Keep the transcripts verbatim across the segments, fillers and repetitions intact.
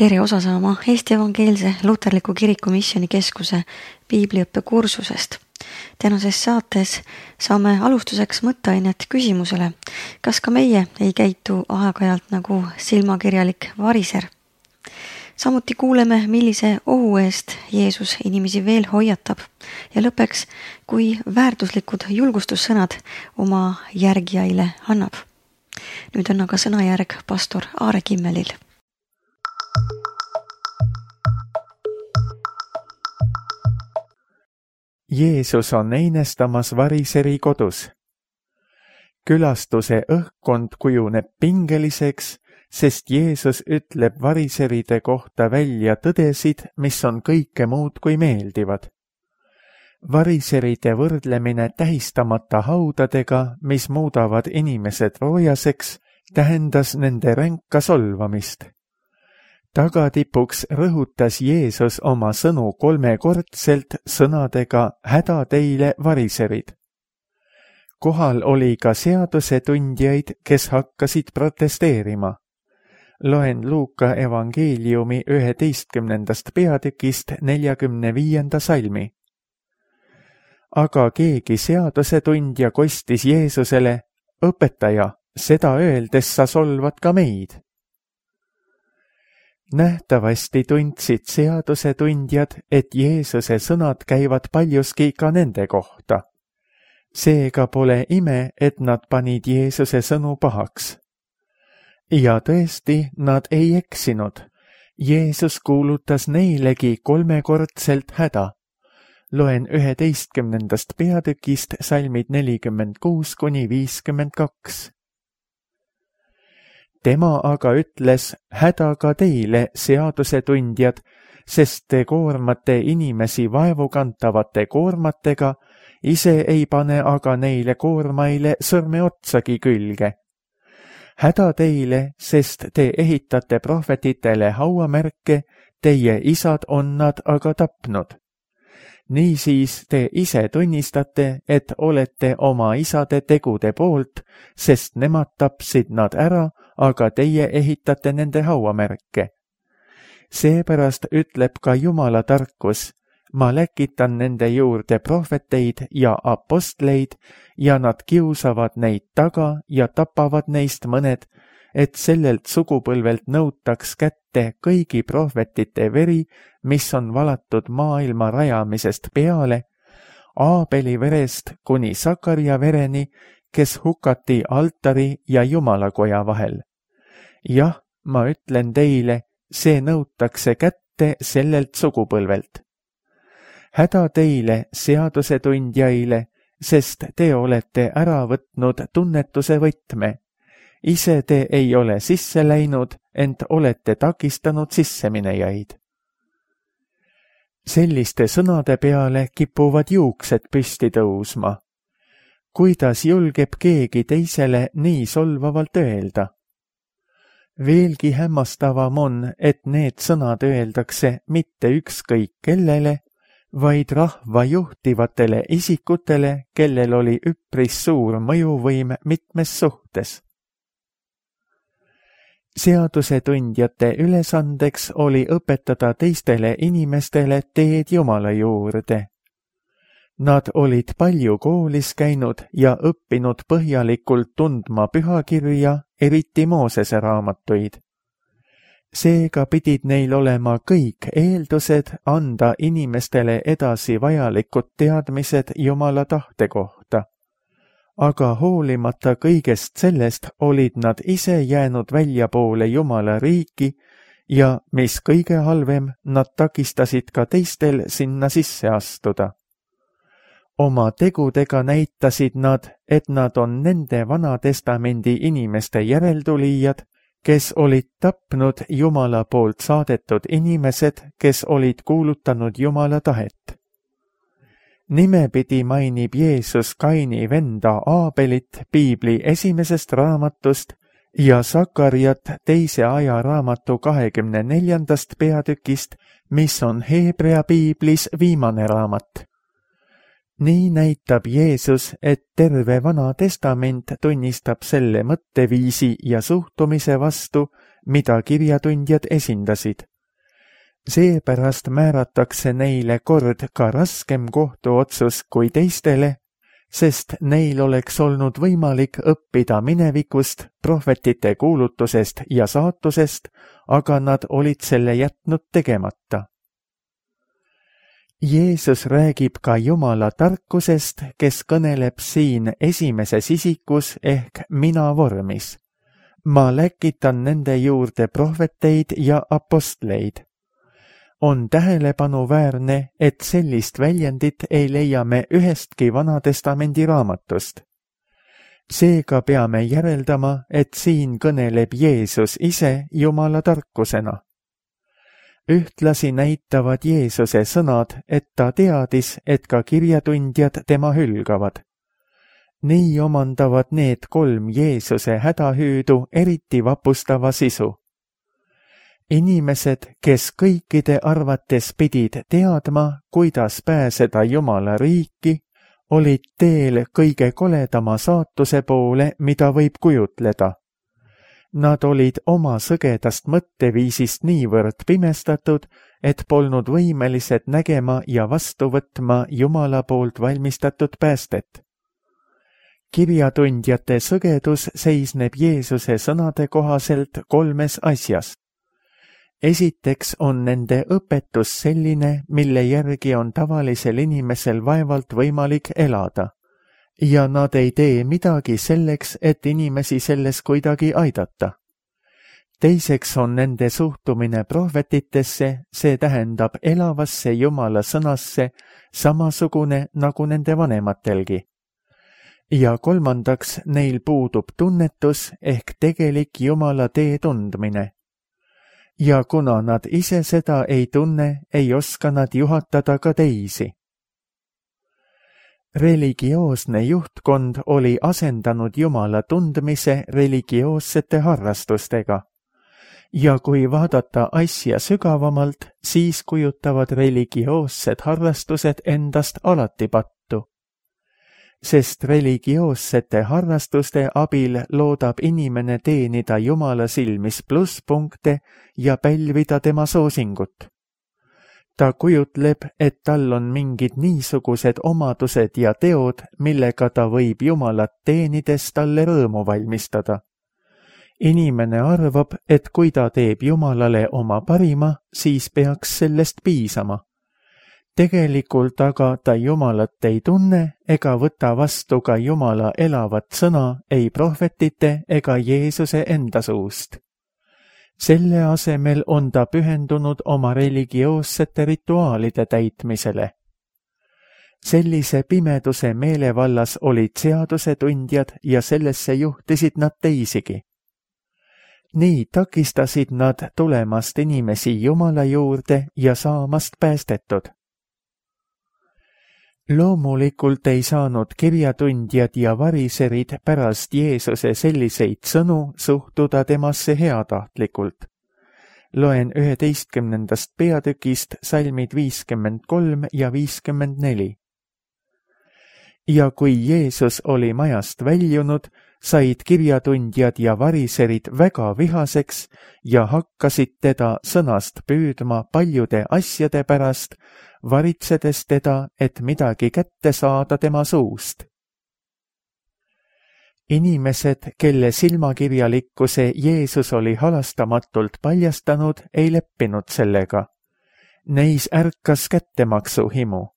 Tere osa saama Eesti Evangeelse Luterliku Kiriku Missioonikeskuse piibliõppe kursusest. Tänases saates saame alustuseks mõtteainet küsimusele, kas ka meie ei käitu aeg-ajalt nagu silmakirjalik variser. Samuti kuuleme, millise ohu eest Jeesus inimesi veel hoiatab ja lõpeks, kui väärtuslikud julgustussõnad oma järgijaile annab. Nüüd on aga sõnajärg pastor Aare Kimmelil. Jeesus on einestamas variseri kodus. Külastuse õhkkond kujuneb pingeliseks, sest Jeesus ütleb variseride kohta välja tõdesid, mis on kõike muud kui meeldivad. Variseride võrdlemine tähistamata haudadega, mis muudavad inimesed roojaseks, tähendas nende ränka solvamist. Tagatipuks rõhutas Jeesus oma sõnu kolmekordselt sõnadega häda teile variserid. Kohal oli ka seadusetundjaid, kes hakkasid protesteerima. Loen Luuka evangeeliumi üheteistkümnendast peatükist neljakümne viienda salmi. Aga keegi seadusetundja kostis Jeesusele, õpetaja, seda öeldes sa solvad ka meid. Nähtavasti tundsid seadusetundjad, et Jeesuse sõnad käivad paljuski ka nende kohta. Seega pole ime, et nad panid Jeesuse sõnu pahaks. Ja tõesti, nad ei eksinud. Jeesus kuulutas neilegi kolmekordselt häda. Loen üheteistkümnendast peatükist salmid nelikümmend kuus kuni viiskümmend kaks. Tema aga ütles, häda ka teile, seadusetundjad, sest te koormate inimesi vaevukantavate koormatega, ise ei pane aga neile koormaile sõrme otsagi külge. Häda teile, sest te ehitate prohvetitele hauamärke, teie isad on nad aga tapnud. Niisiis te ise tunnistate, et olete oma isade tegude poolt, sest nemad tapsid nad ära, aga teie ehitate nende hauamärke. Seepärast ütleb ka Jumala tarkus, ma läkitan nende juurde prohveteid ja apostleid ja nad kiusavad neid taga ja tapavad neist mõned, et sellelt sugupõlvelt nõutaks kätte kõigi prohvetite veri, mis on valatud maailma rajamisest peale, Aabeli verest kuni Sakaria vereni, kes hukati altari ja Jumalakoja vahel. Jah, ma ütlen teile, see nõutakse kätte sellelt sugupõlvelt. Häda teile, seadusetundjaile, sest te olete ära võtnud tunnetuse võtme. Ise te ei ole sisse läinud, ent olete takistanud sisseminejaid. Selliste sõnade peale kipuvad juuksed püsti tõusma. Kuidas julgeb keegi teisele nii solvavalt öelda? Veelgi hämmastavam on, et need sõnad öeldakse mitte ükskõik kellele, vaid rahva juhtivatele isikutele, kellel oli üpris suur mõjuvõim mitmes suhtes. Seadusetundjate ülesandeks oli õpetada teistele inimestele teed Jumala juurde. Nad olid palju koolis käinud ja õppinud põhjalikult tundma pühakirja, eriti Moosese raamatuid. Seega pidid neil olema kõik eeldused anda inimestele edasi vajalikud teadmised Jumala tahte kohta. Aga hoolimata kõigest sellest olid nad ise jäänud väljapoole Jumala riiki ja, mis kõige halvem, nad takistasid ka teistel sinna sisse astuda. Oma tegudega näitasid nad, et nad on nende Vana Testamendi inimeste järeltulijad, kes olid tapnud Jumala poolt saadetud inimesed, kes olid kuulutanud Jumala tahet. Nimepidi mainib Jeesus Kaini venda Aabelit piibli esimesest raamatust ja Sakariat teise aja raamatu kahekümne neljandast peatükist, mis on Heebrea piiblis viimane raamat. Nii näitab Jeesus, et terve Vana Testament tunnistab selle mõtteviisi ja suhtumise vastu, mida kirjatundjad esindasid. Seepärast määratakse neile kord ka raskem kohtuotsus kui teistele, sest neil oleks olnud võimalik õppida minevikust, prohvetite kuulutusest ja saatusest, aga nad olid selle jätnud tegemata. Jeesus räägib ka Jumala tarkusest, kes kõneleb siin esimeses isikus ehk mina vormis. Ma läkitan nende juurde prohveteid ja apostleid. On tähelepanuväärne, et sellist väljendit ei leia me ühestki Vanatestamendi raamatust. Seega peame järeldama, et siin kõneleb Jeesus ise Jumala tarkusena. Ühtlasi näitavad Jeesuse sõnad, et ta teadis, et ka kirjatundjad tema hülgavad. Nii omandavad need kolm Jeesuse hädahüüdu eriti vapustava sisu. Inimesed, kes kõikide arvates pidid teadma, kuidas pääseda Jumala riiki, olid teel kõige koledama saatuse poole, mida võib kujutleda. Nad olid oma sõgedast mõtteviisist niivõrd pimestatud, et polnud võimelised nägema ja vastu võtma Jumala poolt valmistatud päästet. Kirjatundjate sõgedus seisneb Jeesuse sõnade kohaselt kolmes asjas. Esiteks on nende õpetus selline, mille järgi on tavalisel inimesel vaevalt võimalik elada, ja nad ei tee midagi selleks, et inimesi selles kuidagi aidata. Teiseks on nende suhtumine prohvetitesse, see tähendab elavasse Jumala sõnasse, samasugune nagu nende vanematelgi. Ja kolmandaks, neil puudub tunnetus ehk tegelik Jumala tee tundmine. Ja kuna nad ise seda ei tunne, ei oska nad juhatada ka teisi. Religioosne juhtkond oli asendanud Jumala tundmise religioossete harrastustega. Ja kui vaadata asja sügavamalt, siis kujutavad religioossed harrastused endast alati pattu. Sest religioossete harrastuste abil loodab inimene teenida Jumala silmis plusspunkte ja pälvida tema soosingut. Ta kujutleb, et tal on mingid niisugused omadused ja teod, millega ta võib Jumalat teenides talle rõõmu valmistada. Inimene arvab, et kui ta teeb Jumalale oma parima, siis peaks sellest piisama. Tegelikult aga ta Jumalat ei tunne ega võta vastu ka Jumala elavat sõna ei prohvetite ega Jeesuse enda suust. Selle asemel on ta pühendunud oma religioossete rituaalide täitmisele. Sellise pimeduse meelevallas olid seadusetundjad ja sellesse juhtisid nad teisigi. Nii takistasid nad tulemast inimesi Jumala juurde ja saamast päästetud. Loomulikult ei saanud kirjatundjad ja variserid pärast Jeesuse selliseid sõnu suhtuda temasse heatahtlikult. Loen üheteistkümnendast peatükist salmid viiskümmend kolm ja viiskümmend neli. Ja kui Jeesus oli majast väljunud, said kirjatundjad ja variserid väga vihaseks ja hakkasid teda sõnast püüdma paljude asjade pärast, varitsedes teda, et midagi kätte saada tema suust. Inimesed, kelle silmakirjalikkuse Jeesus oli halastamatult paljastanud, ei leppinud sellega. Neis ärkas kättemaksu himu.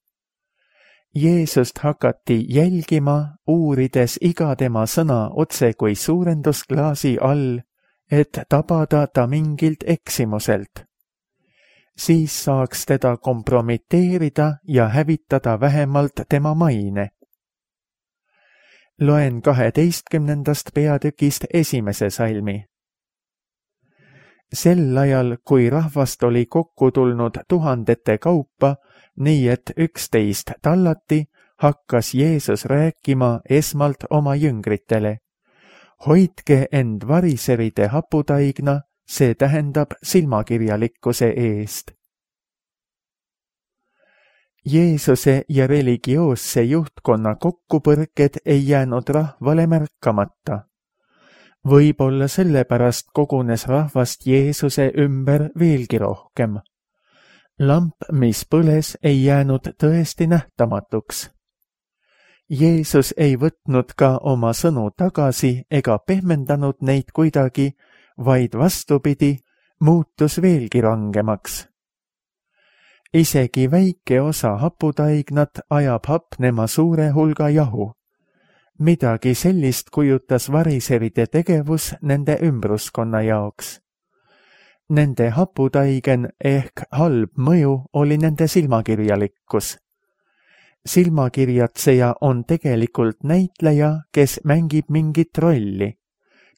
Jeesust hakati jälgima, uurides iga tema sõna otse kui suurendusklaasi all, et tabada ta mingilt eksimuselt. Siis saaks teda kompromiteerida ja hävitada vähemalt tema maine. Loen kaheteistkümnendast peatükist esimese salmi. Sel ajal, kui rahvast oli kokku tulnud tuhandete kaupa, nii et üksteist tallati, hakkas Jeesus rääkima esmalt oma jüngritele. Hoidke end variseride haputaigna, see tähendab silmakirjalikkuse eest. Jeesuse ja religioosse juhtkonna kokkupõrked ei jäänud rahvale märkamata. Võib-olla sellepärast kogunes rahvast Jeesuse ümber veelgi rohkem. lamp, mis põles, ei jäänud tõesti nähtamatuks. Jeesus ei võtnud ka oma sõnu tagasi ega pehmendanud neid kuidagi, vaid vastupidi, muutus veelgi rangemaks. Isegi väike osa haputaignat ajab hapnema suure hulga jahu. Midagi sellist kujutas variseride tegevus nende ümbruskonna jaoks. Nende haputaigen ehk halb mõju oli nende silmakirjalikkus. Silmakirjatseja on tegelikult näitleja, kes mängib mingit rolli.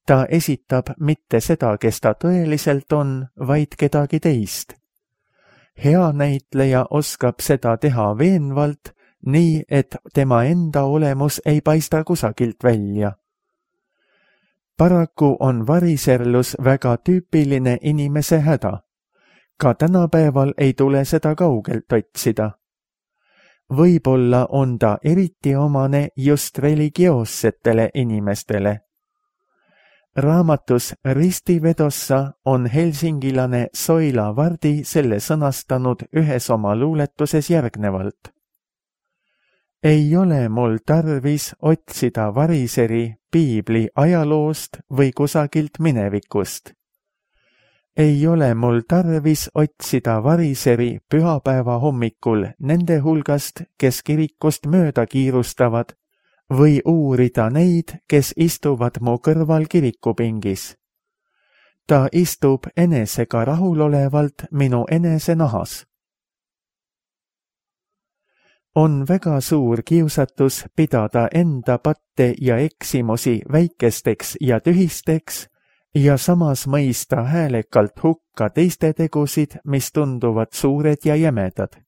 Ta esitab mitte seda, kes ta tõeliselt on, vaid kedagi teist. Hea näitleja oskab seda teha veenvalt, nii et tema enda olemus ei paista kusagilt välja. Paraku on variserlus väga tüüpiline inimese häda. Ka tänapäeval ei tule seda kaugelt otsida. Võib-olla on ta eriti omane just religioossetele inimestele. Raamatus Ristivedossa on helsingilane Soila Vardi selle sõnastanud ühes oma luuletuses järgnevalt. Ei ole mul tarvis otsida variseri piibli ajaloost või kusagilt minevikust. Ei ole mul tarvis otsida variseri pühapäeva hommikul nende hulgast, kes kirikust mööda kiirustavad, või uurida neid, kes istuvad mu kõrval kirikupingis. Ta istub enesega rahulolevalt minu enese nahas. On väga suur kiusatus pidada enda patte ja eksimusi väikesteks ja tühisteks ja samas mõista häälekalt hukka teiste tegusid, mis tunduvad suured ja jämedad.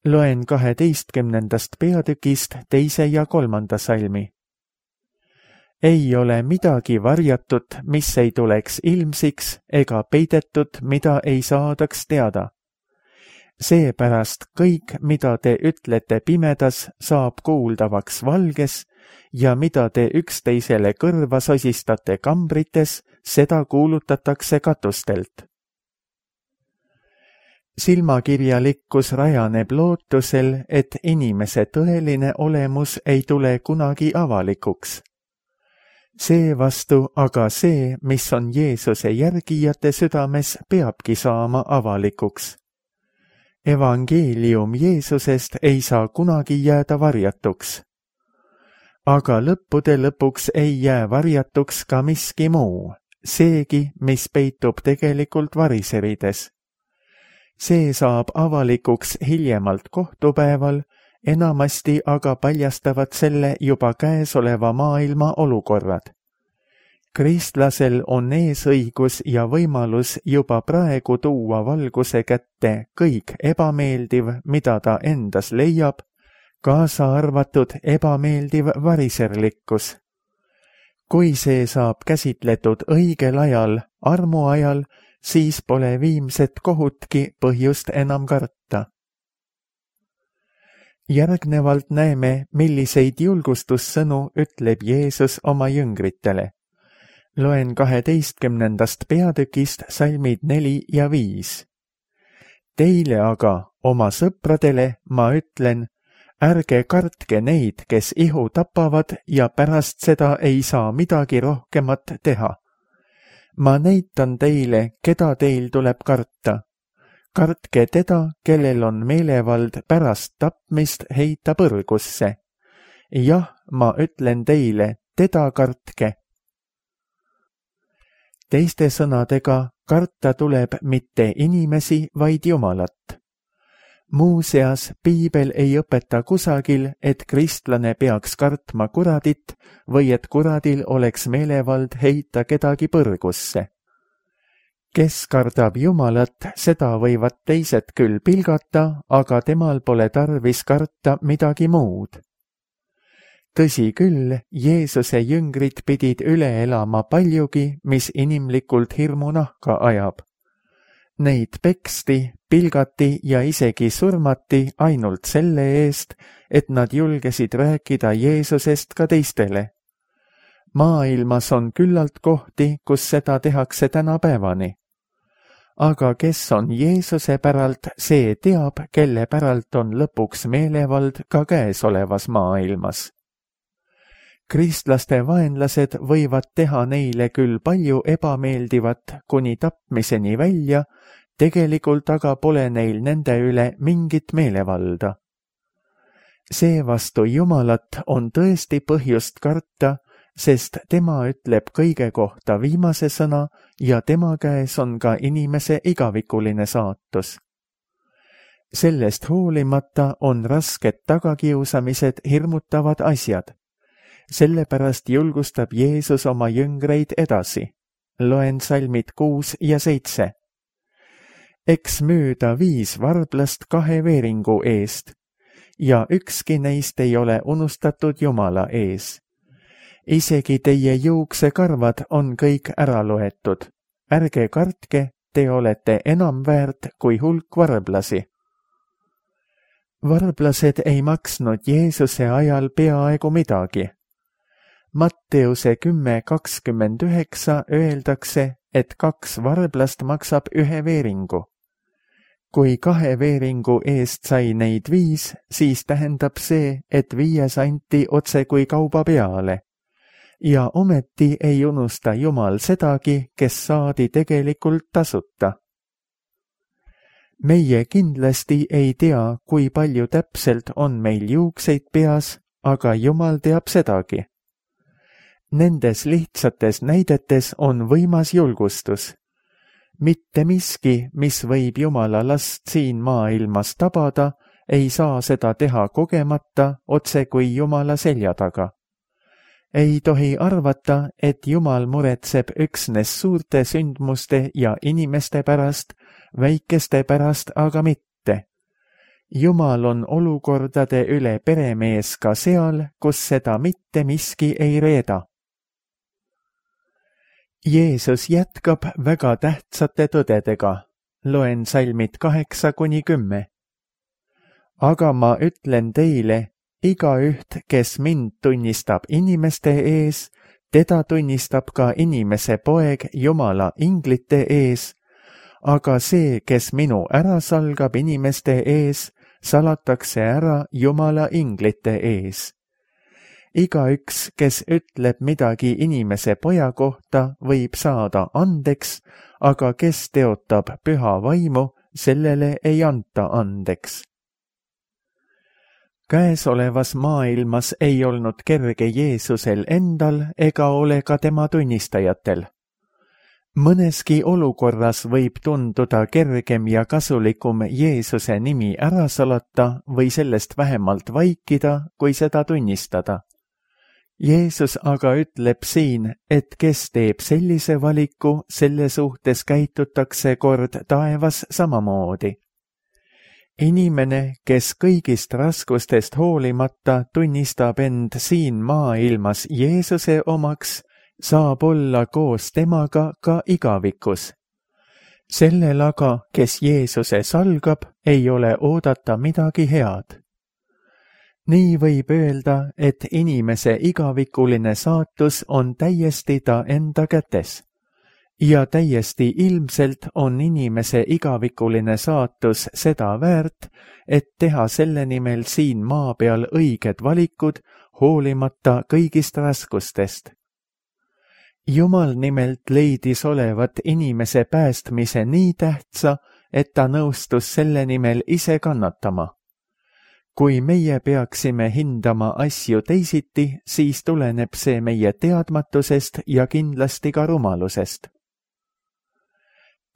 Loen kaheteistkümnendast peatükist teise ja kolmanda salmi. Ei ole midagi varjatut, mis ei tuleks ilmsiks, ega peidetut, mida ei saadaks teada. Seepärast kõik, mida te ütlete pimedas, saab kuuldavaks valges ja mida te üksteisele kõrva sosistate kambrites, seda kuulutatakse katustelt. Silmakirjalikkus rajaneb lootusel, et inimese tõeline olemus ei tule kunagi avalikuks. Seevastu aga see, mis on Jeesuse järgijate südames, peabki saama avalikuks. Evangeelium Jeesusest ei saa kunagi jääda varjatuks. Aga lõppude lõpuks ei jää varjatuks ka miski muu, seegi, mis peitub tegelikult variserides. See saab avalikuks hiljemalt kohtupäeval, enamasti aga paljastavad selle juba käesoleva maailma olukorrad. Kristlasel on eesõigus ja võimalus juba praegu tuua valguse kätte kõik ebameeldiv, mida ta endas leiab, kaasa arvatud ebameeldiv variserlikkus. Kui see saab käsitletud õigel ajal, armu ajal, siis pole viimset kohutki põhjust enam karta. Järgnevalt näeme, milliseid julgustussõnu ütleb Jeesus oma jüngritele. Loen kaheteistkümnendast peatükist salmid neli ja viis. Teile aga, oma sõpradele, ma ütlen, ärge kartke neid, kes ihu tapavad ja pärast seda ei saa midagi rohkemat teha. Ma näitan teile, keda teil tuleb karta. Kartke teda, kellel on meelevald pärast tapmist heita põrgusse. Jah, ma ütlen teile, teda kartke. Teiste sõnadega, karta tuleb mitte inimesi, vaid Jumalat. Muuseas, piibel ei õpeta kusagil, et kristlane peaks kartma kuradit või et kuradil oleks meelevald heita kedagi põrgusse. Kes kardab Jumalat, seda võivad teised küll pilgata, aga temal pole tarvis karta midagi muud. Tõsi küll, Jeesuse jüngrid pidid üle elama paljugi, mis inimlikult hirmu nahka ajab. Neid peksti, pilgati ja isegi surmati ainult selle eest, et nad julgesid rääkida Jeesusest ka teistele. Maailmas on küllalt kohti, kus seda tehakse tänapäevani. aga kes on Jeesuse päralt, see teab, kelle päralt on lõpuks meelevald ka käesolevas maailmas. Kristlaste vaenlased võivad teha neile küll palju ebameeldivat kuni tapmiseni välja, tegelikult aga pole neil nende üle mingit meelevalda. Seevastu Jumalat on tõesti põhjust karta, sest tema ütleb kõige kohta viimase sõna ja tema käes on ka inimese igavikuline saatus. Sellest hoolimata on rasked tagakiusamised hirmutavad asjad. Sellepärast julgustab Jeesus oma jüngreid edasi. Loen salmid kuus ja seitse. Eks müüda viis varblast kahe veeringu eest ja ükski neist ei ole unustatud Jumala ees. Isegi teie juuksekarvad on kõik ära loetud. Ärge kartke, te olete enam väärt kui hulk varblasi. Varblased ei maksnud Jeesuse ajal peaaegu midagi. Matteuse kümme kakskümmend üheksa öeldakse, et kaks varblast maksab ühe veeringu. Kui kahe veeringu eest sai neid viis, siis tähendab see, et viies anti otse kui kauba peale. Ja ometi ei unusta Jumal sedagi, kes saadi tegelikult tasuta. Meie kindlasti ei tea, kui palju täpselt on meil juukseid peas, aga Jumal teab sedagi. Nendes lihtsates näidetes on võimas julgustus. Mitte miski, mis võib Jumala last siin maailmas tabada, ei saa seda teha kogemata otse kui Jumala selja taga. Ei tohi arvata, et Jumal muretseb üksnes suurte sündmuste ja inimeste pärast, väikeste pärast aga mitte. Jumal on olukordade üle peremees ka seal, kus seda mitte miski ei reeda. Jeesus jätkab väga tähtsate tõdedega. Loen salmid kaheksa kuni kümme. Aga ma ütlen teile, igaüht, kes mind tunnistab inimeste ees, teda tunnistab ka inimese poeg Jumala inglite ees, aga see, kes minu ära salgab inimeste ees, salatakse ära Jumala inglite ees. Igaüks, kes ütleb midagi inimese poja kohta, võib saada andeks, aga kes teotab püha vaimu, sellele ei anta andeks. Käesolevas maailmas ei olnud kerge Jeesusel endal ega ole ka tema tunnistajatel. Mõneski olukorras võib tunduda kergem ja kasulikum Jeesuse nimi ära salata või sellest vähemalt vaikida, kui seda tunnistada. Jeesus aga ütleb siin, et kes teeb sellise valiku, selle suhtes käitutakse kord taevas samamoodi. Inimene, kes kõigist raskustest hoolimata tunnistab end siin maailmas Jeesuse omaks, saab olla koos temaga ka igavikus. Sellel aga, kes Jeesuse salgab, ei ole oodata midagi head. Nii võib öelda, et inimese igavikuline saatus on täiesti ta enda kätes. Ja täiesti ilmselt on inimese igavikuline saatus seda väärt, et teha selle nimel siin maa peal õiged valikud, hoolimata kõigist raskustest. Jumal nimelt leidis olevat inimese päästmise nii tähtsa, et ta nõustus selle nimel ise kannatama. Kui meie peaksime hindama asju teisiti, siis tuleneb see meie teadmatusest ja kindlasti ka rumalusest.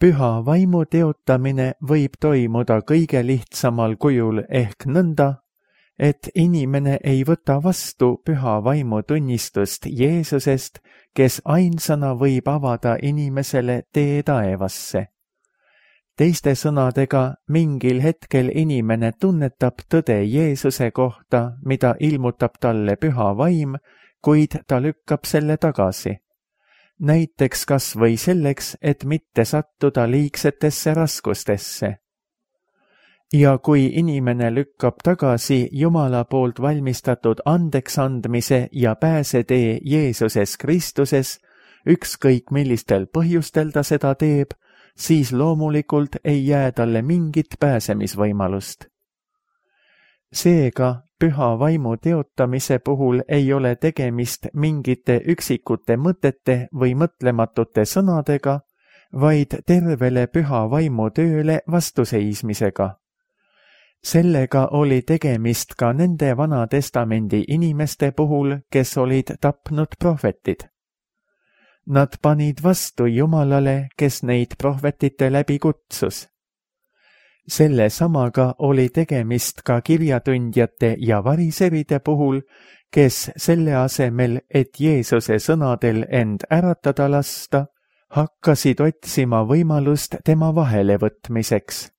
Püha vaimu teotamine võib toimuda kõige lihtsamal kujul ehk nõnda, et inimene ei võta vastu püha vaimu tunnistust Jeesusest, kes ainsana võib avada inimesele tee taevasse. Teiste sõnadega, mingil hetkel inimene tunnetab tõde Jeesuse kohta, mida ilmutab talle püha vaim, kuid ta lükkab selle tagasi. Näiteks kas või selleks, et mitte sattuda liigsetesse raskustesse. Ja kui inimene lükkab tagasi Jumala poolt valmistatud andeksandmise ja pääsetee Jeesuses Kristuses, ükskõik millistel põhjustel ta seda teeb, siis loomulikult ei jää talle mingit pääsemisvõimalust. Seega, püha vaimu teotamise puhul ei ole tegemist mingite üksikute mõtete või mõtlematute sõnadega, vaid tervele püha vaimu tööle vastuseismisega. Sellega oli tegemist ka nende Vana Testamendi inimeste puhul, kes olid tapnud prohvetid. Nad panid vastu Jumalale, kes neid prohvetite läbi kutsus. Selle samaga oli tegemist ka kirjatundjate ja variseride puhul, kes selle asemel, et Jeesuse sõnadel end äratada lasta, hakkasid otsima võimalust tema vahele võtmiseks.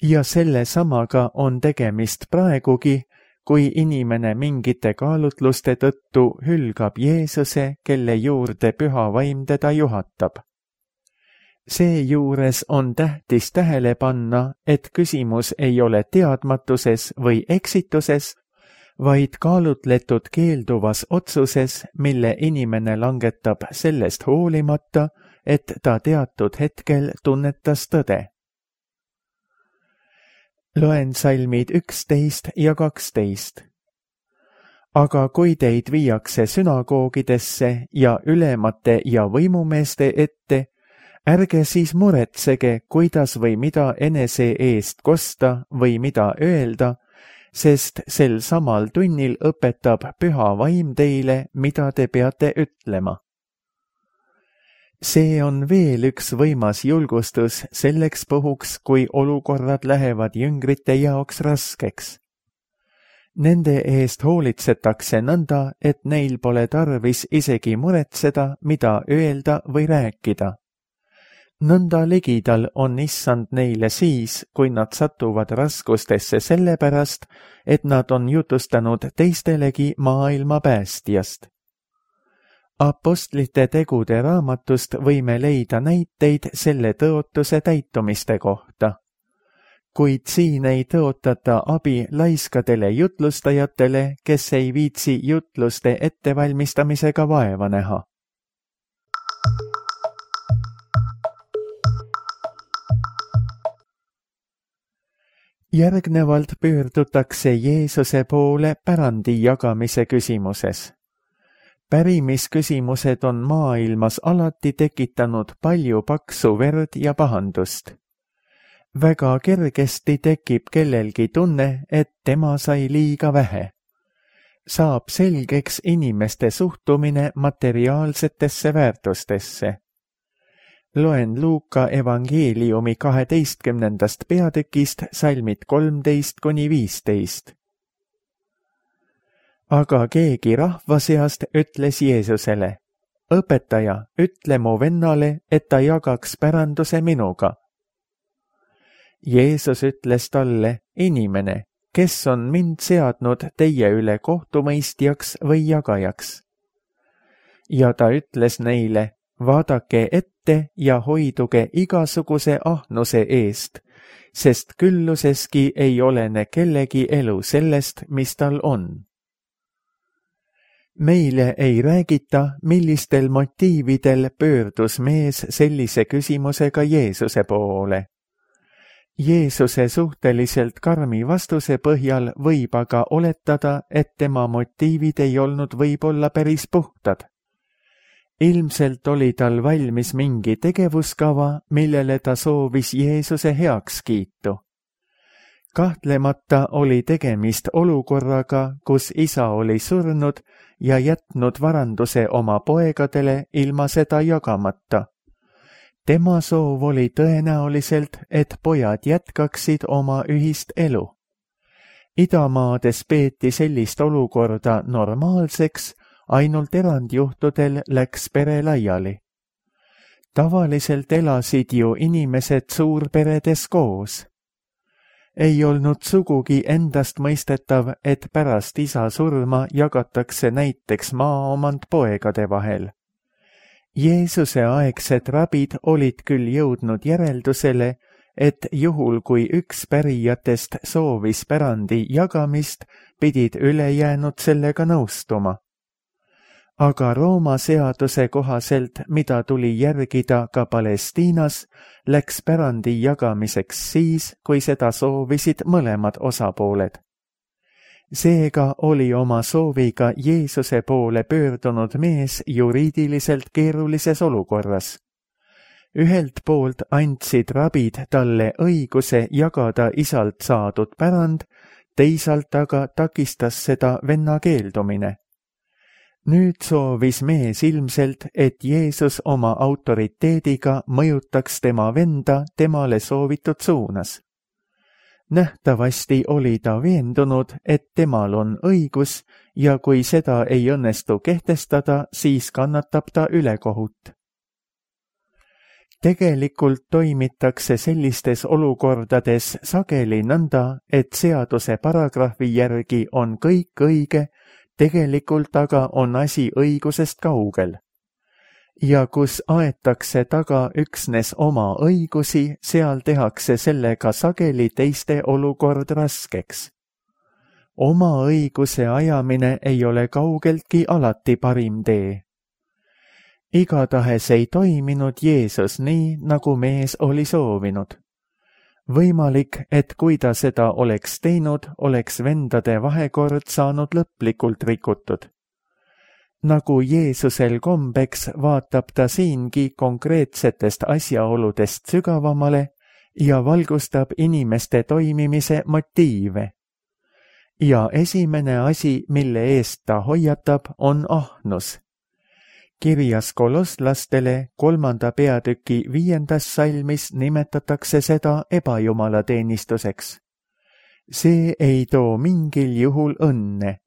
Ja selle samaga on tegemist praegugi, kui inimene mingite kaalutluste tõttu hülgab Jeesuse, kelle juurde püha vaim teda juhatab. Seejuures on tähtis tähele panna, et küsimus ei ole teadmatuses või eksituses, vaid kaalutletud keelduvas otsuses, mille inimene langetab sellest hoolimata, et ta teatud hetkel tunnetas tõde. Loen salmid üksteist ja kaksteist. Aga kui teid viiakse sünagoogidesse ja ülemate ja võimumeeste ette, ärge siis muretsege, kuidas või mida enese eest kosta või mida öelda, sest sel samal tunnil õpetab püha vaim teile, mida te peate ütlema. See on veel üks võimas julgustus selleks puhuks, kui olukorrad lähevad jüngrite jaoks raskeks. Nende eest hoolitsetakse nõnda, et neil pole tarvis isegi muretseda, mida öelda või rääkida. Nõnda ligidal on issand neile siis, kui nad satuvad raskustesse sellepärast, et nad on jutustanud teistelegi maailma päästjast. Apostlite tegude raamatust võime leida näiteid selle tõotuse täitumiste kohta. Kuid siin ei tõotata abi laiskadele jutlustajatele, kes ei viitsi jutluste ettevalmistamisega vaeva näha. Järgnevalt pöördutakse Jeesuse poole pärandi jagamise küsimuses. Pärimisküsimused on maailmas alati tekitanud palju paksu verd ja pahandust. Väga kergesti tekib kellelgi tunne, et tema sai liiga vähe. Saab selgeks inimeste suhtumine materiaalsetesse väärtustesse. Loen Luuka evangeeliumi kaheteistkümnendast peatükist salmid kolmteist kuni viisteist. Aga keegi rahva seast ütles Jeesusele, õpetaja, ütle mu vennale, et ta jagaks päranduse minuga. Jeesus ütles talle, inimene, kes on mind seadnud teie üle kohtumõistjaks või jagajaks. Ja ta ütles neile, vaadake ette ja hoiduge igasuguse ahnuse eest, sest külluseski ei olene kellegi elu sellest, mis tal on. Meile ei räägita, millistel motiividel pöördus mees sellise küsimusega Jeesuse poole. Jeesuse suhteliselt karmi vastuse põhjal võib aga oletada, et tema motiivid ei olnud võib-olla päris puhtad. Ilmselt oli tal valmis mingi tegevuskava, millele ta soovis Jeesuse heakskiitu. Kahtlemata oli tegemist olukorraga, kus isa oli surnud ja jätnud varanduse oma poegadele ilma seda jagamata. Tema soov oli tõenäoliselt, et pojad jätkaksid oma ühist elu. Idamaades peeti sellist olukorda normaalseks, ainult erandjuhtudel läks pere laiali. Tavaliselt elasid ju inimesed suurperedes koos. Ei olnud sugugi endast mõistetav, et pärast isa surma jagatakse näiteks maaomand poegade vahel. Jeesuse aegsed rabid olid küll jõudnud järeldusele, et juhul kui üks pärijatest soovis pärandi jagamist, pidid ülejäänud sellega nõustuma. aga Rooma seaduse kohaselt, mida tuli järgida ka Palestiinas, läks pärandi jagamiseks siis, kui seda soovisid mõlemad osapooled. Seega oli oma sooviga Jeesuse poole pöördunud mees juriidiliselt keerulises olukorras. Ühelt poolt andsid rabid talle õiguse jagada isalt saadud pärand, teisalt aga takistas seda venna keeldumine. Nüüd soovis mees ilmselt, et Jeesus oma autoriteediga mõjutaks tema venda temale soovitud suunas. Nähtavasti oli ta veendunud, et temal on õigus ja kui seda ei õnnestu kehtestada, siis kannatab ta ülekohut. Tegelikult toimitakse sellistes olukordades sageli nõnda, et seaduse paragrahvi järgi on kõik õige, tegelikult aga on asi õigusest kaugel. Ja kus aetakse taga üksnes oma õigusi, seal tehakse sellega sageli teiste olukord raskeks. Oma õiguse ajamine ei ole kaugeltki alati parim tee. Igatahes ei toiminud Jeesus nii, nagu mees oli soovinud. Võimalik, et kui ta seda oleks teinud, oleks vendade vahekord saanud lõplikult rikutud. Nagu Jeesusel kombeks, vaatab ta siingi konkreetsetest asjaoludest sügavamale ja valgustab inimeste toimimise motiive. Ja esimene asi, mille eest ta hoiatab, on ahnus. Kirjas kolosslastele kolmanda peatüki viiendas salmis nimetatakse seda ebajumalateenistuseks. See ei too mingil juhul õnne.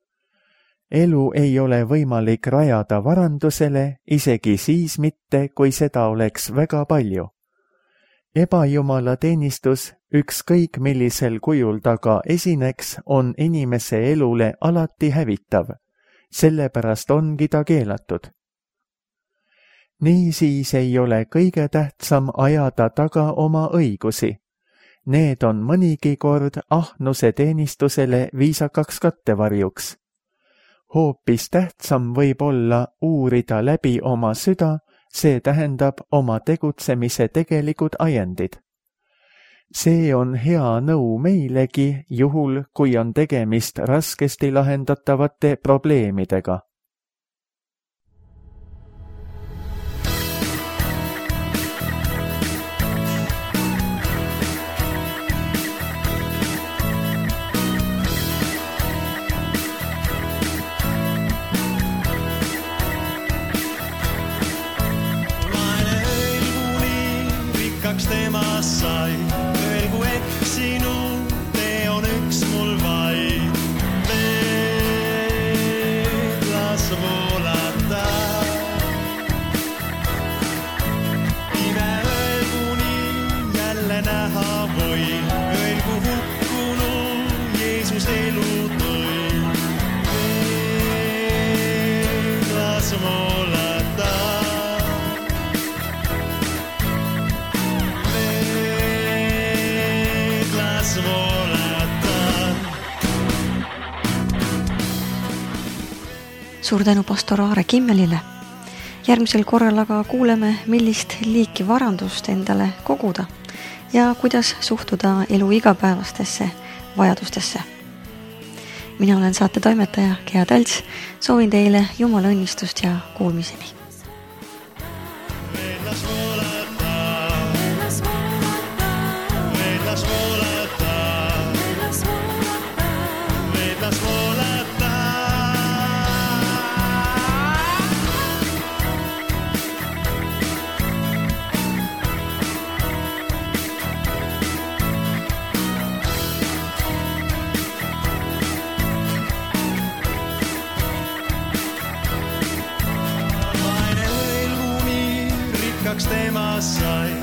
Elu ei ole võimalik rajada varandusele, isegi siis mitte, kui seda oleks väga palju. Ebajumalateenistus, ükskõik millisel kujul ta ka esineks, on inimese elule alati hävitav. Sellepärast ongi ta keelatud. Niisiis ei ole kõige tähtsam ajada taga oma õigusi. Need on mõnigi kord ahnuse teenistusele viisakaks kattevarjuks. Hoopis tähtsam võib olla uurida läbi oma süda, see tähendab oma tegutsemise tegelikud ajendid. See on hea nõu meilegi, juhul kui on tegemist raskesti lahendatavate probleemidega. Temas sai, öelgu eksinud, tee on üks mul vaid. Veed las voolata. Ime öelgu nii jälle näha või, öelgu hukkunu Jeesus elu tõi. Veed las voolata. Suur tänu pastor Aare Kimmelile. Järgmisel korral aga kuuleme, millist liiki varandust endale koguda ja kuidas suhtuda elu igapäevastesse vajadustesse. Mina olen saate toimetaja Gea Talts, soovin teile Jumala õnnistust ja kuulmiseni. Temas sai,